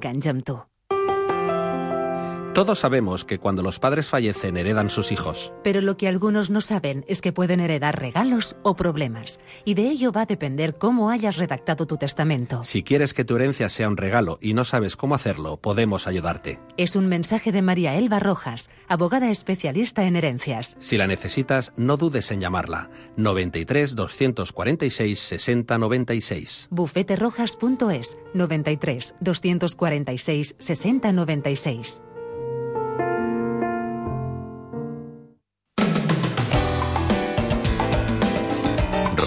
anys amb tu. Todos sabemos que cuando los padres fallecen heredan sus hijos. Pero lo que algunos no saben es que pueden heredar regalos o problemas. Y de ello va a depender cómo hayas redactado tu testamento. Si quieres que tu herencia sea un regalo y no sabes cómo hacerlo, podemos ayudarte. Es un mensaje de María Elba Rojas, abogada especialista en herencias. Si la necesitas, no dudes en llamarla. 93 246 60 96. Bufeterojas.es 93 246 60 96.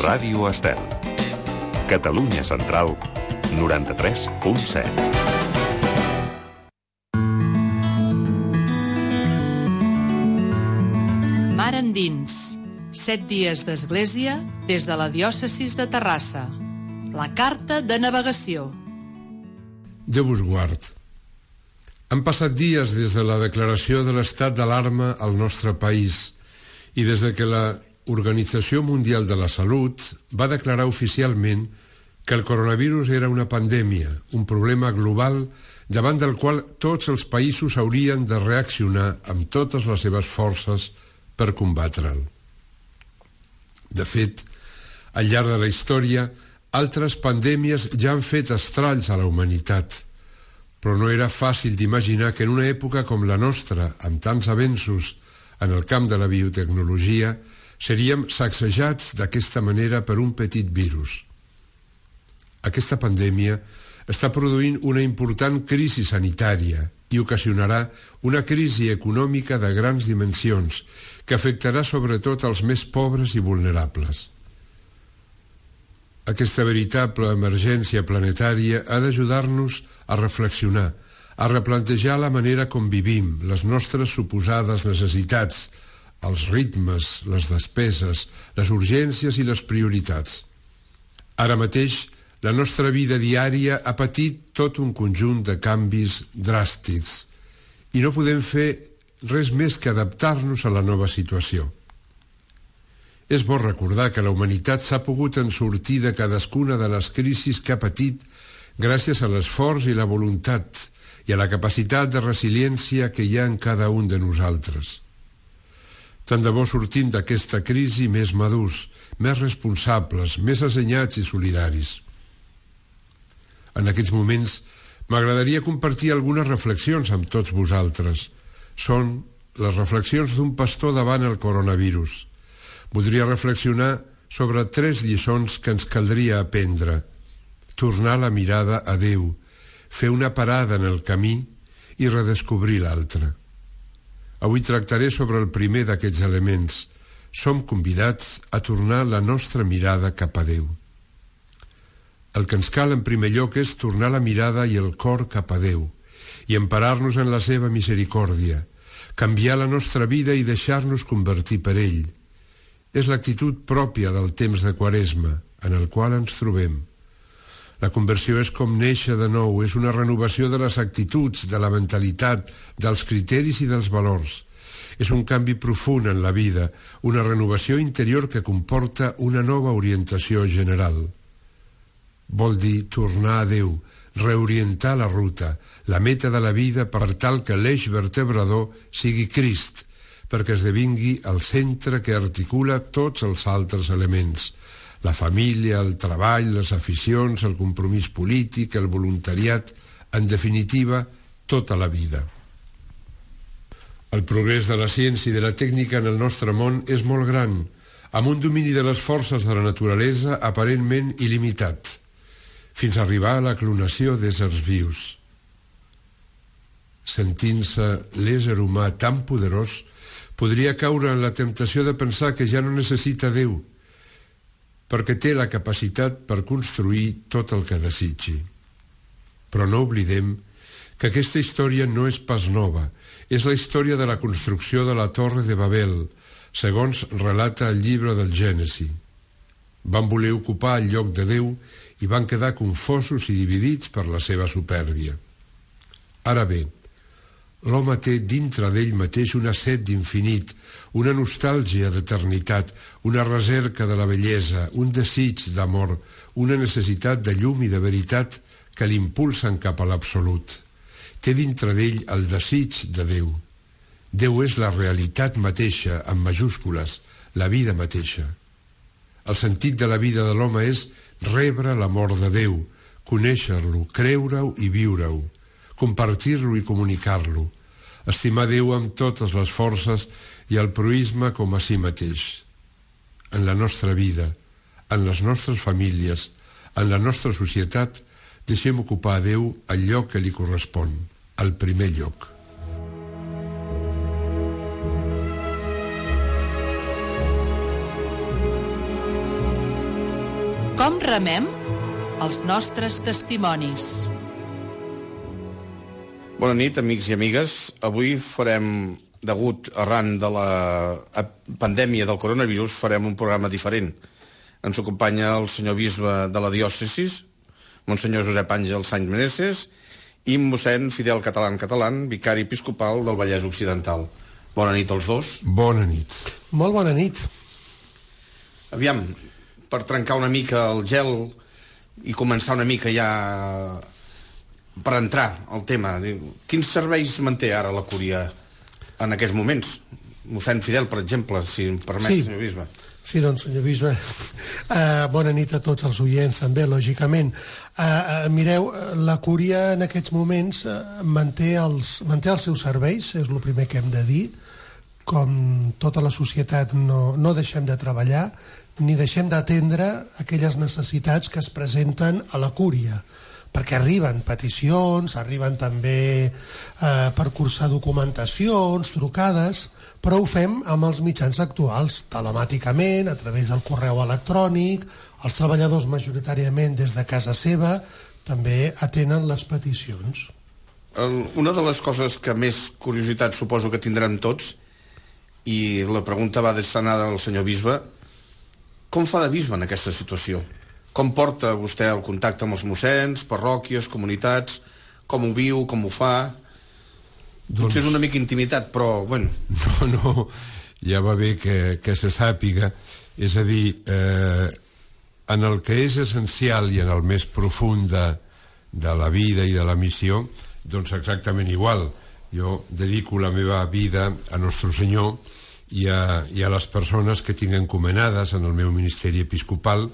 Ràdio Estel. Catalunya Central, 93.7. Mar endins. 7 dies d'església des de la diòcesis de Terrassa. La carta de navegació. Déu vos guard. Han passat dies des de la declaració de l'estat d'alarma al nostre país i des de que la Organització Mundial de la Salut va declarar oficialment que el coronavirus era una pandèmia, un problema global davant del qual tots els països haurien de reaccionar amb totes les seves forces per combatre'l. De fet, al llarg de la història, altres pandèmies ja han fet estralls a la humanitat, però no era fàcil d'imaginar que en una època com la nostra, amb tants avenços en el camp de la biotecnologia, seríem sacsejats d'aquesta manera per un petit virus. Aquesta pandèmia està produint una important crisi sanitària i ocasionarà una crisi econòmica de grans dimensions que afectarà sobretot els més pobres i vulnerables. Aquesta veritable emergència planetària ha d'ajudar-nos a reflexionar, a replantejar la manera com vivim, les nostres suposades necessitats, els ritmes, les despeses, les urgències i les prioritats. Ara mateix, la nostra vida diària ha patit tot un conjunt de canvis dràstics i no podem fer res més que adaptar-nos a la nova situació. És bo recordar que la humanitat s'ha pogut en sortir de cadascuna de les crisis que ha patit gràcies a l'esforç i la voluntat i a la capacitat de resiliència que hi ha en cada un de nosaltres. Tant de bo sortim d'aquesta crisi més madurs, més responsables, més assenyats i solidaris. En aquests moments m'agradaria compartir algunes reflexions amb tots vosaltres. Són les reflexions d'un pastor davant el coronavirus. Voldria reflexionar sobre 3 lliçons que ens caldria aprendre. Tornar la mirada a Déu, fer una parada en el camí i redescobrir l'altre. Avui tractaré sobre el primer d'aquests elements. Som convidats a tornar la nostra mirada cap a Déu. El que ens cal en primer lloc és tornar la mirada i el cor cap a Déu i emparar-nos en la seva misericòrdia, canviar la nostra vida i deixar-nos convertir per ell. És l'actitud pròpia del temps de Quaresma, en el qual ens trobem. La conversió és com néixer de nou, és una renovació de les actituds, de la mentalitat, dels criteris i dels valors. És un canvi profund en la vida, una renovació interior que comporta una nova orientació general. Vol dir tornar a Déu, reorientar la ruta, la meta de la vida per tal que l'eix vertebrador sigui Crist, perquè esdevingui el centre que articula tots els altres elements. La família, el treball, les aficions, el compromís polític, el voluntariat, en definitiva, tota la vida. El progrés de la ciència i de la tècnica en el nostre món és molt gran, amb un domini de les forces de la naturalesa aparentment il·limitat, fins a arribar a la clonació d'éssers vius. Sentint-se l'ésser humà tan poderós, podria caure en la temptació de pensar que ja no necessita Déu, perquè té la capacitat per construir tot el que desitgi. Però no oblidem que aquesta història no és pas nova, és la història de la construcció de la Torre de Babel, segons relata el llibre del Gènesi. Van voler ocupar el lloc de Déu i van quedar confosos i dividits per la seva supèrbia. Ara bé, l'home té dintre d'ell mateix una set d'infinit, una nostàlgia d'eternitat, una recerca de la bellesa, un desig d'amor, una necessitat de llum i de veritat que l'impulsen cap a l'absolut. Té dintre d'ell el desig de Déu. Déu és la realitat mateixa, amb majúscules, la vida mateixa. El sentit de la vida de l'home és rebre l'amor de Déu, conèixer-lo, creure-ho i viure-ho, compartir-lo i comunicar-lo, estimar Déu amb totes les forces i el proïsme com a si mateix. En la nostra vida, en les nostres famílies, en la nostra societat, deixem ocupar a Déu el lloc que li correspon, el primer lloc. Com remem els nostres testimonis? Bona nit, amics i amigues. Avui farem, arran de la pandèmia del coronavirus, farem un programa diferent. Ens acompanya el senyor bisbe de la diòcesis, Monsenyor Josep Àngel Sáenz Meneses, i mossèn Fidel Catalán, vicari episcopal del Vallès Occidental. Bona nit als dos. Bona nit. Molt bona nit. Aviam, per trencar una mica el gel i començar una mica ja per entrar al tema. Quins serveis manté ara la Cúria en aquests moments? Mossèn Fidel, per exemple, si em permet, senyor bisbe. Sí, doncs, senyor bisbe, bona nit a tots els oients, també, lògicament. Mireu, la Cúria en aquests moments manté els seus serveis, és el primer que hem de dir. Com tota la societat no deixem de treballar ni deixem d'atendre aquelles necessitats que es presenten a la Cúria, perquè arriben peticions, arriben també per cursar documentacions, trucades, però ho fem amb els mitjans actuals, telemàticament, a través del correu electrònic. Els treballadors majoritàriament des de casa seva també atenen les peticions. Una de les coses que més curiositat suposo que tindrem tots, i la pregunta va destinada al senyor bisbe, com fa de bisbe en aquesta situació? Com porta vostè el contacte amb els mossens, parròquies, comunitats? Com ho viu, com ho fa? Potser és una mica intimitat, però, bueno... No, ja va bé que se sàpiga. És a dir, en el que és essencial i en el més profund de la vida i de la missió, doncs exactament igual. Jo dedico la meva vida a Nostre Senyor i a les persones que tinc encomanades en el meu ministeri episcopal.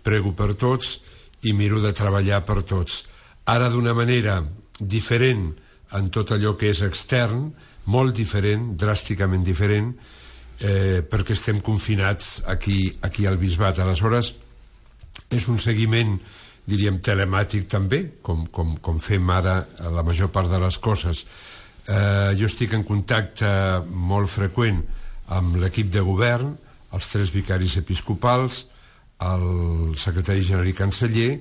Prego per tots i miro de treballar per tots. Ara d'una manera diferent en tot allò que és extern, molt diferent, dràsticament diferent, perquè estem confinats aquí al bisbat. Aleshores, és un seguiment, diríem, telemàtic també, com fem ara la major part de les coses. Jo estic en contacte molt freqüent amb l'equip de govern, els 3 vicaris episcopals, el secretari general i canceller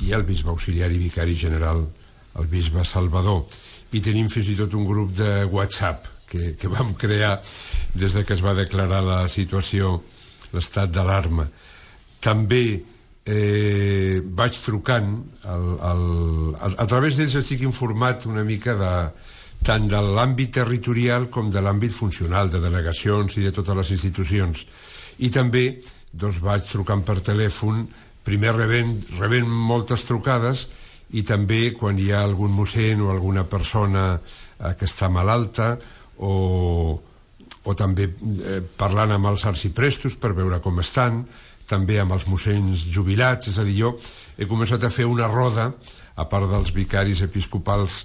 i el bisbe auxiliar i vicari general, el bisbe Salvador. I tenim fins i tot un grup de WhatsApp que vam crear des de que es va declarar la situació, l'estat d'alarma. També vaig trucant a través d'ells estic informat una mica tant de l'àmbit territorial com de l'àmbit funcional, de delegacions i de totes les institucions. I també doncs vaig trucant per telèfon, primer rebent moltes trucades, i també quan hi ha algun mossèn o alguna persona que està malalta, o també parlant amb els arciprestos per veure com estan, també amb els mossens jubilats. És a dir, jo he començat a fer una roda, a part dels vicaris episcopals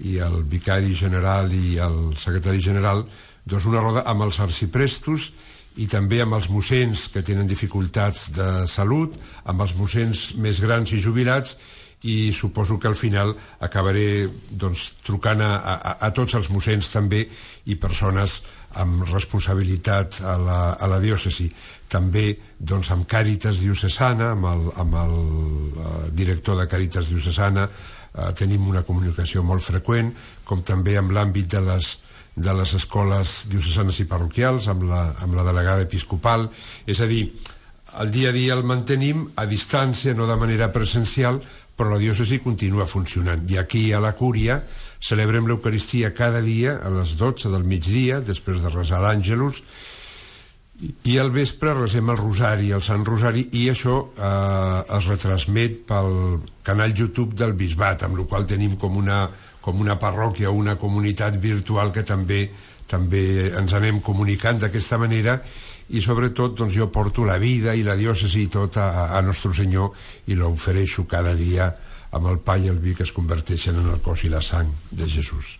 i el vicari general i el secretari general, doncs una roda amb els arciprestos i també amb els mossens que tenen dificultats de salut, amb els mossens més grans i jubilats, i suposo que al final acabaré trucant a tots els mossens també i persones amb responsabilitat a la diòcesi. També amb Càritas Diocesana, amb el director de Càritas Diocesana, tenim una comunicació molt freqüent, com també amb l'àmbit de les escoles diocesanes i parroquials, amb la delegada episcopal. És a dir, el dia a dia el mantenim a distància, no de manera presencial, però la diòcesi continua funcionant. I aquí a la Cúria celebrem l'Eucaristia cada dia a les 12 del migdia, després de resar l'Àngelus, I al vespre resem el Rosari, el Sant Rosari, i això es retransmet pel canal YouTube del Bisbat, amb la qual tenim com una parròquia o una comunitat virtual que també ens anem comunicant d'aquesta manera, i sobretot doncs, jo porto la vida i la diòcesi i tot a Nostre Senyor i l'ofereixo cada dia amb el pa i el vi que es converteixen en el cos i la sang de Jesús.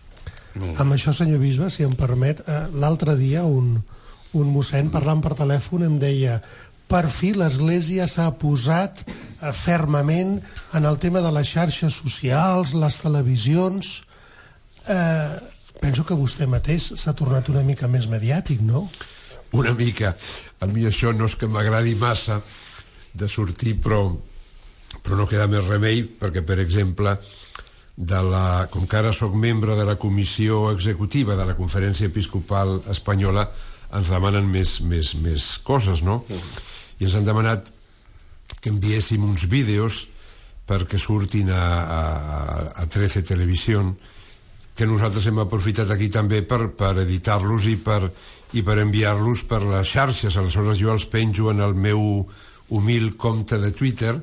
Amb això, senyor bisbe, si em permet, l'altre dia un mossèn parlant per telèfon em deia: per fi l'Església s'ha posat fermament en el tema de les xarxes socials, les televisions. Penso que vostè mateix s'ha tornat una mica més mediàtic, no? Una mica. A mi això no és que m'agradi massa de sortir, però no queda més remei, perquè, per exemple, com que ara soc membre de la comissió executiva de la Conferència Episcopal Espanyola, ens demanen més coses, no? I ens han demanat que enviéssim uns vídeos perquè surtin a 13 Televisió, que nosaltres hem aprofitat aquí també per editar-los i per enviar-los per les xarxes. Aleshores jo els penjo en el meu humil compte de Twitter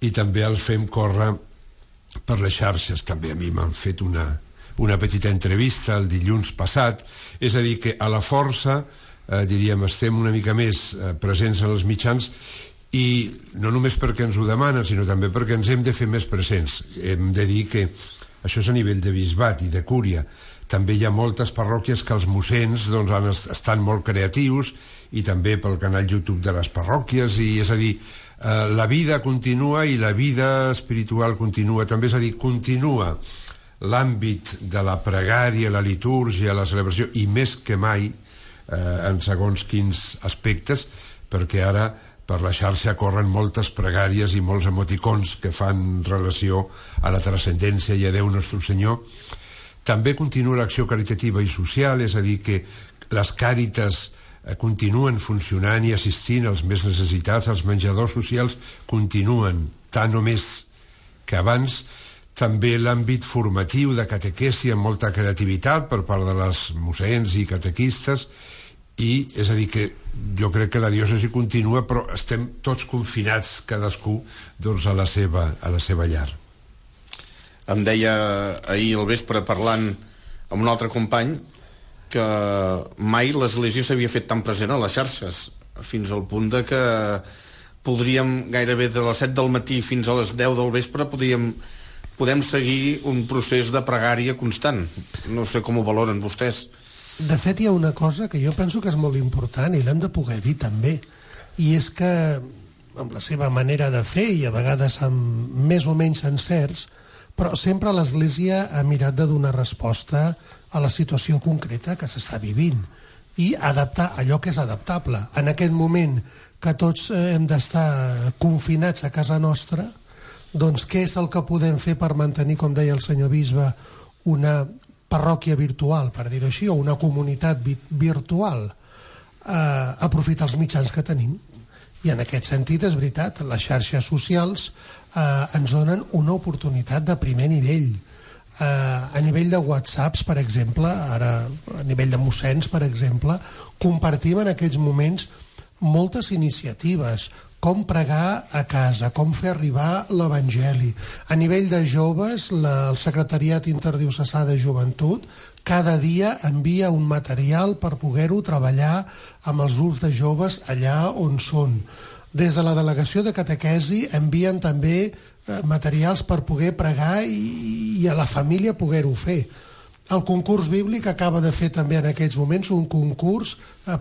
i també els fem córrer per les xarxes. També a mi m'han fet una petita entrevista el dilluns passat, és a dir, que a la força, diríem, estem una mica més presents en els mitjans, i no només perquè ens ho demanen, sinó també perquè ens hem de fer més presents. Hem de dir que això és a nivell de bisbat i de cúria. També hi ha moltes parròquies que els mossens doncs, estan molt creatius, i també pel canal YouTube de les parròquies, i és a dir, la vida continua i la vida espiritual continua també, és a dir, continua l'àmbit de la pregària, la litúrgia, la celebració, i més que mai en segons quins aspectes, perquè ara per la xarxa corren moltes pregàries i molts emoticons que fan relació a la transcendència i a Déu Nostre Senyor. També continua l'acció caritativa i social, és a dir, que les càritas continuen funcionant i assistint als més necessitats, els menjadors socials continuen tant o més que abans. També l'àmbit formatiu de catequesi amb molta creativitat per part de les mossens i catequistes, i és a dir que jo crec que la diòcesi continua, però estem tots confinats, cadascú doncs, a la seva llar. Em deia ahir al vespre, parlant amb un altre company, que mai l'Església s'havia fet tan present a les xarxes, fins al punt de que podríem gairebé de les 7 del matí fins a les 10 del vespre podem seguir un procés de pregària constant. No sé com ho valoren vostès. De fet, hi ha una cosa que jo penso que és molt important i l'hem de poder dir també, i és que amb la seva manera de fer, i a vegades amb més o menys encerts, però sempre l'Església ha mirat de donar resposta a la situació concreta que s'està vivint i adaptar allò que és adaptable. En aquest moment que tots hem d'estar confinats a casa nostra, doncs què és el que podem fer per mantenir, com deia el senyor bisbe, una parròquia virtual, per dir-ho així, o una comunitat virtual? Aprofitar els mitjans que tenim. I en aquest sentit, és veritat, les xarxes socials ens donen una oportunitat de primer nivell. A nivell de whatsapps, per exemple, ara a nivell de mossens, per exemple, compartim en aquests moments moltes iniciatives, com pregar a casa, com fer arribar l'Evangeli. A nivell de joves, el Secretariat Interdiocesà de Joventut cada dia envia un material per poder-ho treballar amb els grups de joves allà on són. Des de la delegació de catequesi envien també materials per poder pregar i a la família poder-ho fer. El concurs bíblic acaba de fer també en aquests moments un concurs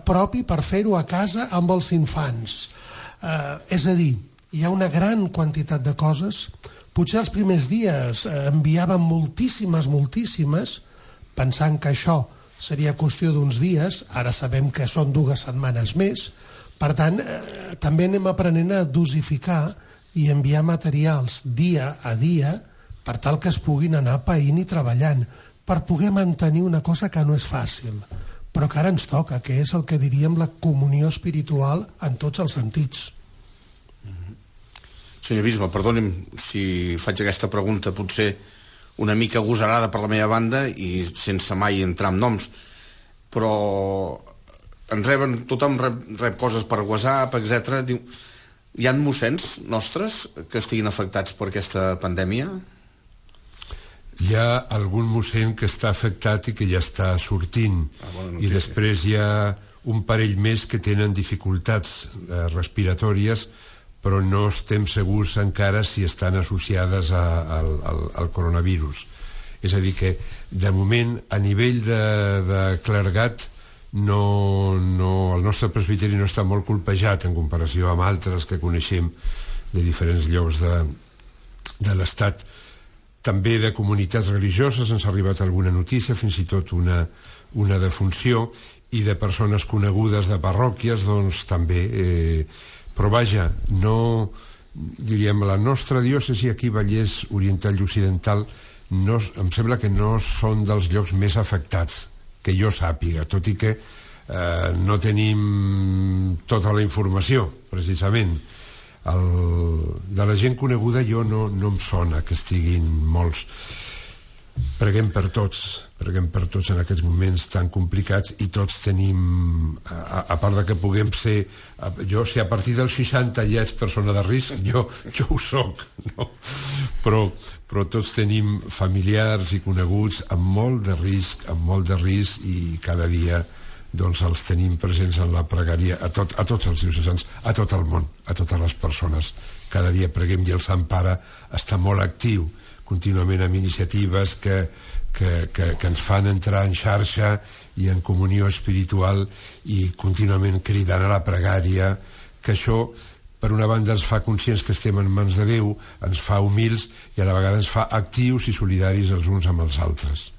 propi per fer-ho a casa amb els infants. És a dir, hi ha una gran quantitat de coses. Potser els primers dies enviàvem moltíssimes, pensant que això seria qüestió d'uns dies, ara sabem que són 2 setmanes més. Per tant, també anem aprenent a dosificar i enviar materials dia a dia per tal que es puguin anar païnt i treballant, per poder mantenir una cosa que no és fàcil, però que ara ens toca, que és el que diríem la comunió espiritual en tots els sentits. Senyor bisbe, perdoni'm si faig aquesta pregunta potser una mica agosarada per la meva banda i sense mai entrar en noms, però tothom rep coses per WhatsApp, etc. Diu, hi ha mossens nostres que estiguin afectats per aquesta pandèmia? Hi ha algun mossèn que està afectat i que ja està sortint, i després hi ha un parell més que tenen dificultats respiratòries, però no estem segurs encara si estan associades al coronavirus. És a dir que, de moment, a nivell de clergat, el nostre presbiteri no està molt colpejat en comparació amb altres que coneixem de diferents llocs de l'Estat. També de comunitats religioses ens ha arribat alguna notícia, fins i tot una defunció, i de persones conegudes de parròquies, doncs també. Però vaja, no, diríem, la nostra diòcesi aquí, Vallès Oriental i Occidental, em sembla que no són dels llocs més afectats, que jo sàpiga, tot i que no tenim tota la informació, precisament. De la gent coneguda jo no em sona que estiguin molts. Preguem per tots en aquests moments tan complicats, i tots tenim, a part de que puguem ser, jo si a partir dels 60 ja ets persona de risc, jo ho soc, no? Però tots tenim familiars i coneguts amb molt de risc, i cada dia doncs els tenim presents en la pregària a tots els diocesans, a tot el món, a totes les persones. Cada dia preguem, i el Sant Pare està molt actiu contínuament amb iniciatives que ens fan entrar en xarxa i en comunió espiritual, i contínuament cridant a la pregària, que això, per una banda, ens fa conscients que estem en mans de Déu, ens fa humils, i a la vegada ens fa actius i solidaris els uns amb els altres.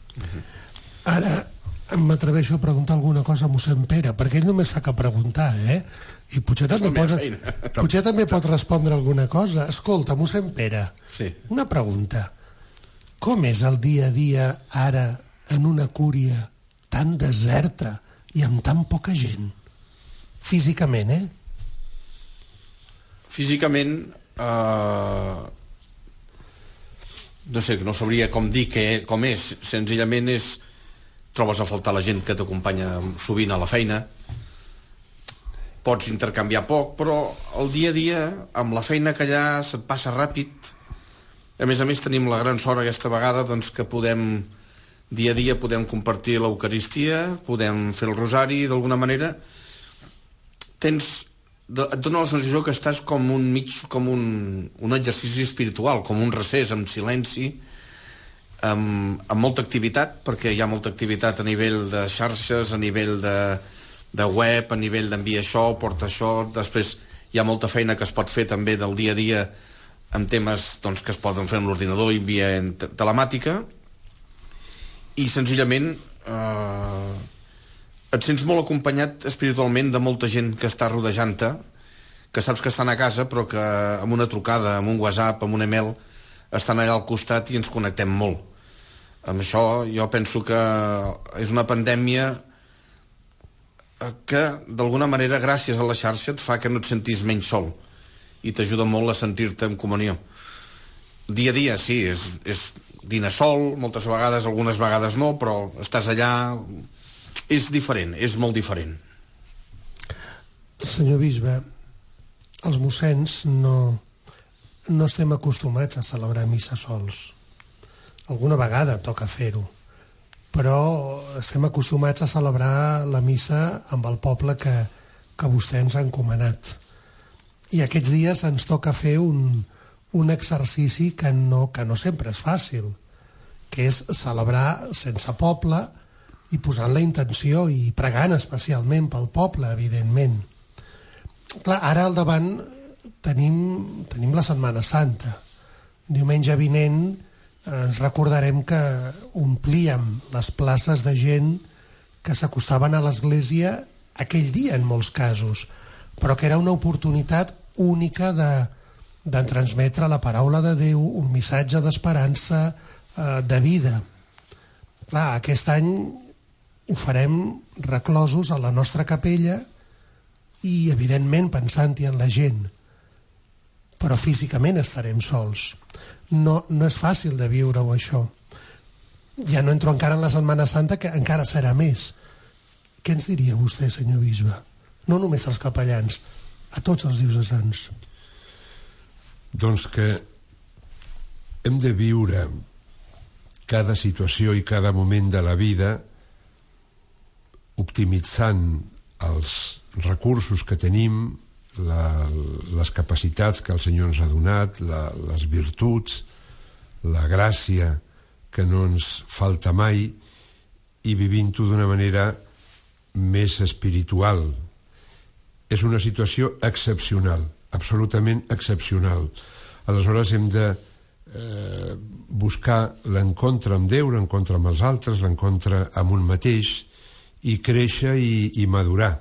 Ara m'atreveixo a preguntar alguna cosa a mossèn Pere, perquè ell només fa que preguntar, i potser també pot respondre alguna cosa. Escolta, mossèn Pere, una pregunta. Com és el dia a dia ara en una cúria tan deserta i amb tan poca gent? Físicament, Físicament, no sé, no sabria com dir com és. Senzillament trobes a faltar la gent que t'acompanya sovint a la feina. Pots intercanviar poc, però el dia a dia, amb la feina que hi ha, se't passa ràpid. A més tenim la gran sort aquesta vegada doncs, que dia a dia podem compartir l'Eucaristia, podem fer el rosari, d'alguna manera et dona la sensació que estàs com un exercici espiritual, com un recés, amb silenci, amb molta activitat, perquè hi ha molta activitat a nivell de xarxes, a nivell de web, a nivell d'enviar això, porta això. Després hi ha molta feina que es pot fer també del dia a dia amb temes doncs, que es poden fer amb l'ordinador i via telemàtica, i senzillament et sents molt acompanyat espiritualment de molta gent que està rodejant-te, que saps que estan a casa, però que amb una trucada, amb un WhatsApp, amb un email, estan allà al costat, i ens connectem molt. Amb això jo penso que és una pandèmia que d'alguna manera, gràcies a la xarxa, et fa que no et sentis menys sol, i t'ajuda molt a sentir-te en comunió. Dia a dia, sí, és dinar sol, moltes vegades, algunes vegades no, però estàs allà. És diferent, és molt diferent. Senyor bisbe, els mossens no estem acostumats a celebrar missa sols. Alguna vegada toca fer-ho, però estem acostumats a celebrar la missa amb el poble que vostè ens ha encomanat. I aquests dies ens toca fer un exercici que no sempre és fàcil, que és celebrar sense poble i posant la intenció i pregant especialment pel poble, evidentment. Clar, ara al davant tenim la Setmana Santa. Diumenge vinent ens recordarem que omplíem les places de gent que s'acostaven a l'església aquell dia en molts casos, però que era una oportunitat única de transmetre la paraula de Déu, un missatge d'esperança, de vida. Clar, aquest any ho farem reclosos a la nostra capella i, evidentment, pensant-hi en la gent. Però físicament estarem sols. No és fàcil de viure-ho, això. Ja no entro encara en la Setmana Santa, que encara serà més. què ens diria vostè, senyor bisbe? No només als capellans, a tots els diocesans. Doncs que hem de viure cada situació i cada moment de la vida optimitzant els recursos que tenim, les capacitats que el Senyor ens ha donat, les virtuts, la gràcia que no ens falta mai, i vivint-ho d'una manera més espiritual. És una situació excepcional, absolutament excepcional. Aleshores hem de buscar l'encontre amb Déu, l'encontre amb els altres, l'encontre amb un mateix, i créixer i madurar.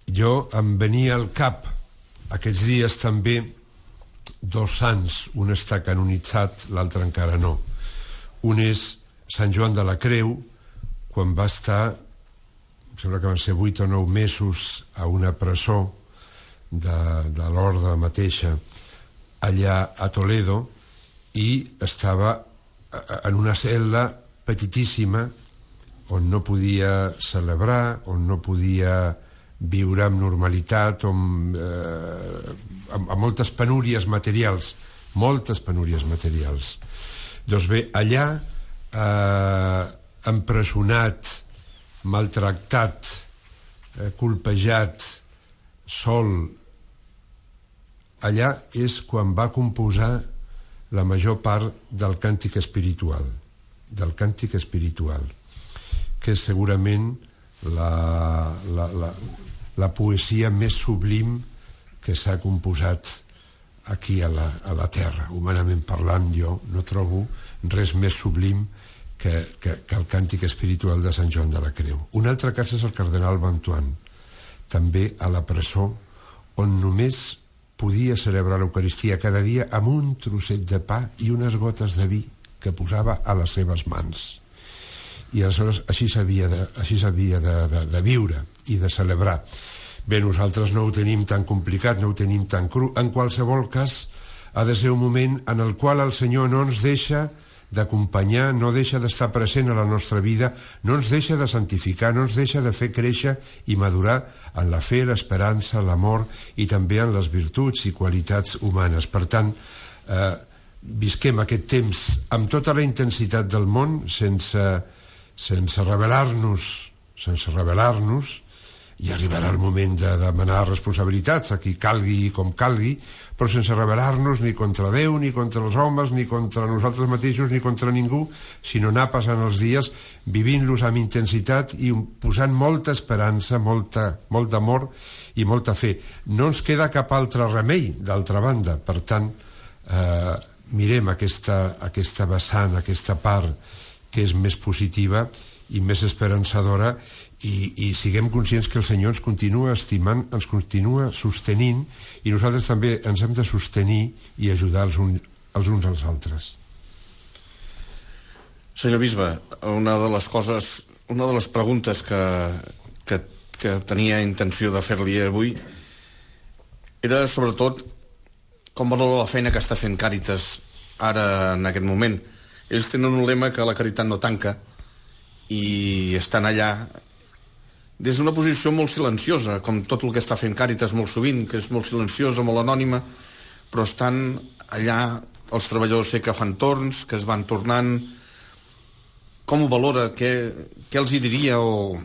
Jo em venia al cap aquests dies també dos sants, un està canonitzat, l'altre encara no. Un és Sant Joan de la Creu, quan va estar, em sembla que van ser 8 o 9 mesos a una presó de l'orde mateixa allà a Toledo, i estava en una cel·la petitíssima on no podia celebrar, on no podia viure amb normalitat, amb moltes penúries materials, Doncs bé, allà, empresonat, maltractat, colpejat, sol, allà és quan va composar la major part del càntic espiritual, que és segurament la poesia més sublim que s'ha composat aquí a la Terra. Humanament parlant, jo no trobo res més sublim que el càntic espiritual de Sant Joan de la Creu. Un altre cas és el cardenal Bantuan, també a la presó, on només podia celebrar l'Eucaristia cada dia amb un trosset de pa i unes gotes de vi que posava a les seves mans. I aleshores així s'havia de viure i de celebrar. Bé, nosaltres no ho tenim tan complicat, no ho tenim tan cru. En qualsevol cas, ha de ser un moment en el qual el Senyor no ens deixa d'acompanyar, no deixa d'estar present a la nostra vida, no ens deixa de santificar, no ens deixa de fer créixer i madurar en la fe, l'esperança, l'amor i també en les virtuts i qualitats humanes. Per tant, visquem aquest temps amb tota la intensitat del món, sense rebel·lar-nos, i arribarà el moment de demanar responsabilitats a qui calgui i com calgui, però sense rebel·lar-nos ni contra Déu, ni contra els homes, ni contra nosaltres mateixos, ni contra ningú, sinó anar passant els dies vivint-los amb intensitat i posant molta esperança, molt d'amor i molta fe. No ens queda cap altre remei, d'altra banda. Per tant, mirem aquesta vessant, aquesta part que és més positiva i més esperançadora, i siguem conscients que el Senyor ens continua estimant, ens continua sostenint, i nosaltres també ens hem de sostenir i ajudar els uns als altres. Senyor bisbe, una de les preguntes que tenia intenció de fer-li avui era sobretot com valora la feina que està fent Càritas ara en aquest moment. Ells tenen un lema que la caritat no tanca, i estan allà des d'una posició molt silenciosa, com tot el que està fent Càritas molt sovint, que és molt silenciosa, molt anònima, però estan allà, els treballadors sé que fan torns, que es van tornant. Com ho valora? Què els hi diria o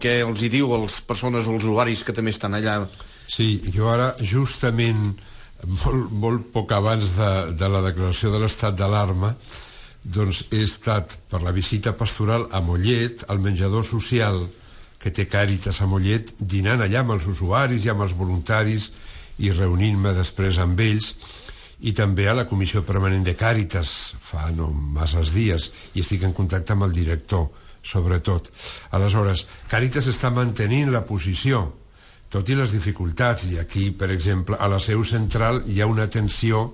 què els hi diu a les persones o als usuaris que també estan allà? Sí, jo ara, justament, molt poc abans de la declaració de l'estat d'alarma, doncs he estat per la visita pastoral a Mollet, al menjador social que té Càritas a Mollet, dinant allà amb els usuaris i amb els voluntaris i reunint-me després amb ells, i també a la comissió permanent de Càritas fa no masses dies, i estic en contacte amb el director, sobretot. Aleshores, Càritas està mantenint la posició, tot i les dificultats, i aquí, per exemple, a la seu central hi ha una atenció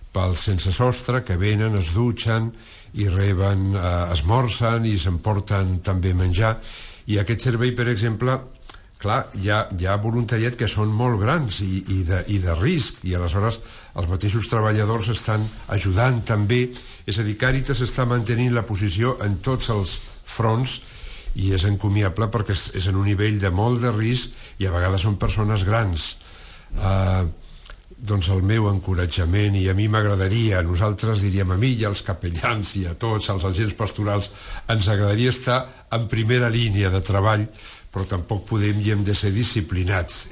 pels sense sostre que venen, es dutxen i reben, esmorzen i s'emporten també menjar. I aquest servei, per exemple, clar, hi ha voluntariat que són molt grans i de risc, i aleshores els mateixos treballadors estan ajudant també. És a dir, Càritas està mantenint la posició en tots els fronts, i és encomiable perquè és en un nivell de molt de risc i a vegades són persones grans. Doncs el meu encoratjament, i a mi m'agradaria, nosaltres diríem, a mi i als capellans i a tots els agents pastorals, ens agradaria estar en primera línia de treball, però tampoc podem i hem de ser disciplinats,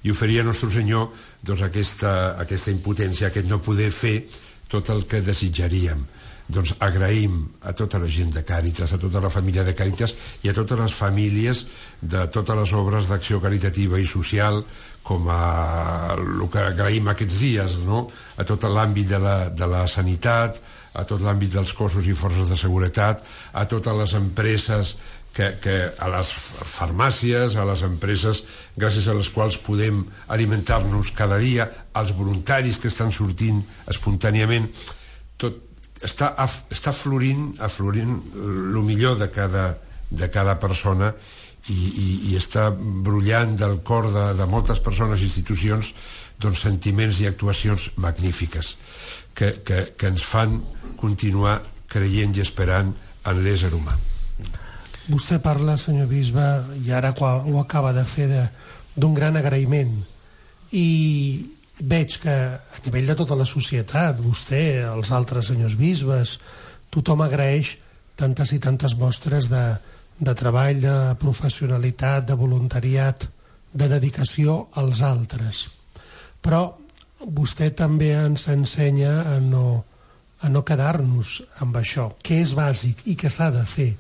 i oferir a Nostre Senyor doncs, aquesta impotència, aquest no poder fer tot el que desitjaríem. Doncs agraïm a tota la gent de Càritas, a tota la família de Càritas i a totes les famílies de totes les obres d'acció caritativa i social, com el que agraïm aquests dies, no? A tot l'àmbit de la sanitat, a tot l'àmbit dels cossos i forces de seguretat, a totes les empreses, a les farmàcies, a les empreses gràcies a les quals podem alimentar-nos cada dia, als voluntaris que estan sortint espontàniament. Tot està florint el millor de cada persona i està brollant del cor de moltes persones i institucions doncs, sentiments i actuacions magnífiques que ens fan continuar creient i esperant en l'ésser humà. Vostè parla, senyor bisbe, i ara ho acaba de fer, d'un gran agraïment, i veig que a nivell de tota la societat, vostè, els altres senyors bisbes, tothom agraeix tantes i tantes mostres de treball, de professionalitat, de voluntariat, de dedicació als altres. Però vostè també ens ensenya a no quedar-nos amb això, que és bàsic i que s'ha de fer,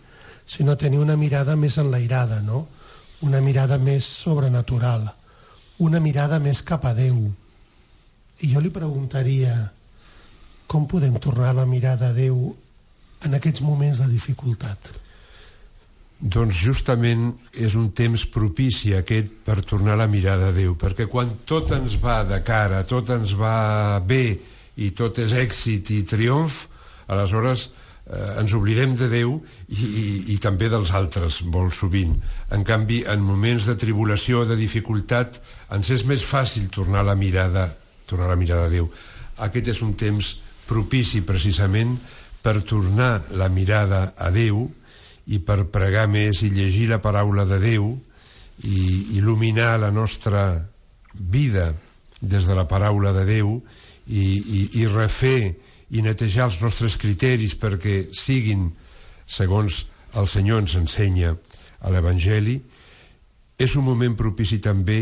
sinó tenir una mirada més enlairada, no? Una mirada més sobrenatural, una mirada més cap a Déu. I jo li preguntaria, com podem tornar la mirada a Déu en aquests moments de dificultat? Doncs justament és un temps propici aquest per tornar la mirada a Déu, perquè quan tot ens va de cara, tot ens va bé i tot és èxit i triomf, aleshores ens oblidem de Déu i també dels altres molt sovint. En canvi, en moments de tribulació, de dificultat, ens és més fàcil tornar la mirada a Déu. Aquest és un temps propici precisament per tornar la mirada a Déu i per pregar més i llegir la paraula de Déu i il·luminar la nostra vida des de la paraula de Déu i refer i netejar els nostres criteris perquè siguin segons el Senyor ens ensenya a l'Evangeli. És un moment propici també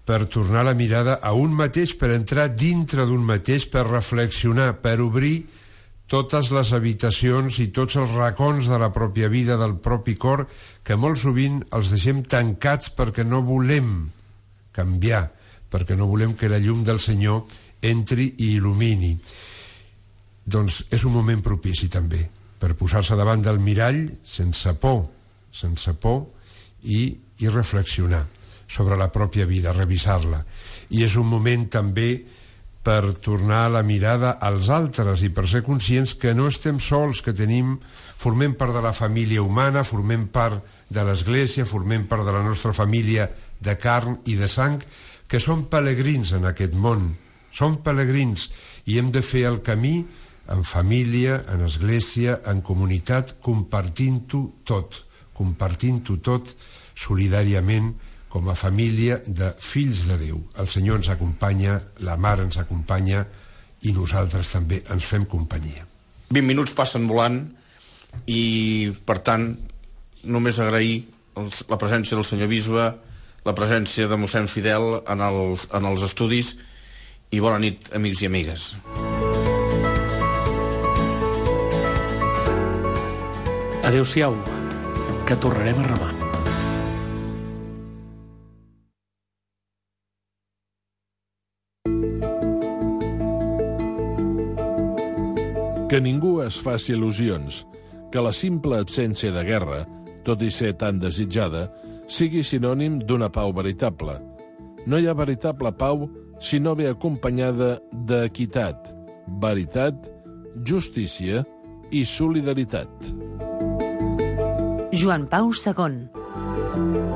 per tornar la mirada a un mateix, per entrar dintre d'un mateix, per reflexionar, per obrir totes les habitacions i tots els racons de la pròpia vida, del propi cor, que molt sovint els deixem tancats perquè no volem canviar, perquè no volem que la llum del Senyor entri i il·lumini. Doncs és un moment propici també per posar-se davant del mirall sense por i reflexionar sobre la pròpia vida, revisar-la. I és un moment també per tornar la mirada als altres i per ser conscients que no estem sols, que formem part de la família humana, formem part de l'Església, formem part de la nostra família de carn i de sang, que som pelegrins en aquest món, som pelegrins i hem de fer el camí en família, en església, en comunitat, compartint-ho tot solidàriament com a família de fills de Déu. El Senyor ens acompanya, la Mare ens acompanya i nosaltres també ens fem companyia. 20 minuts passen volant i, per tant, només agrair la presència del senyor bisbe, la presència de mossèn Fidel en els estudis i bona nit, amics i amigues. Adéu-siau, que tornarem a remar. Que ningú es faci il·lusions, que la simple absència de guerra, tot i ser tan desitjada, sigui sinònim d'una pau veritable. No hi ha veritable pau si no ve acompanyada d'equitat, veritat, justícia i solidaritat. Joan Pau II.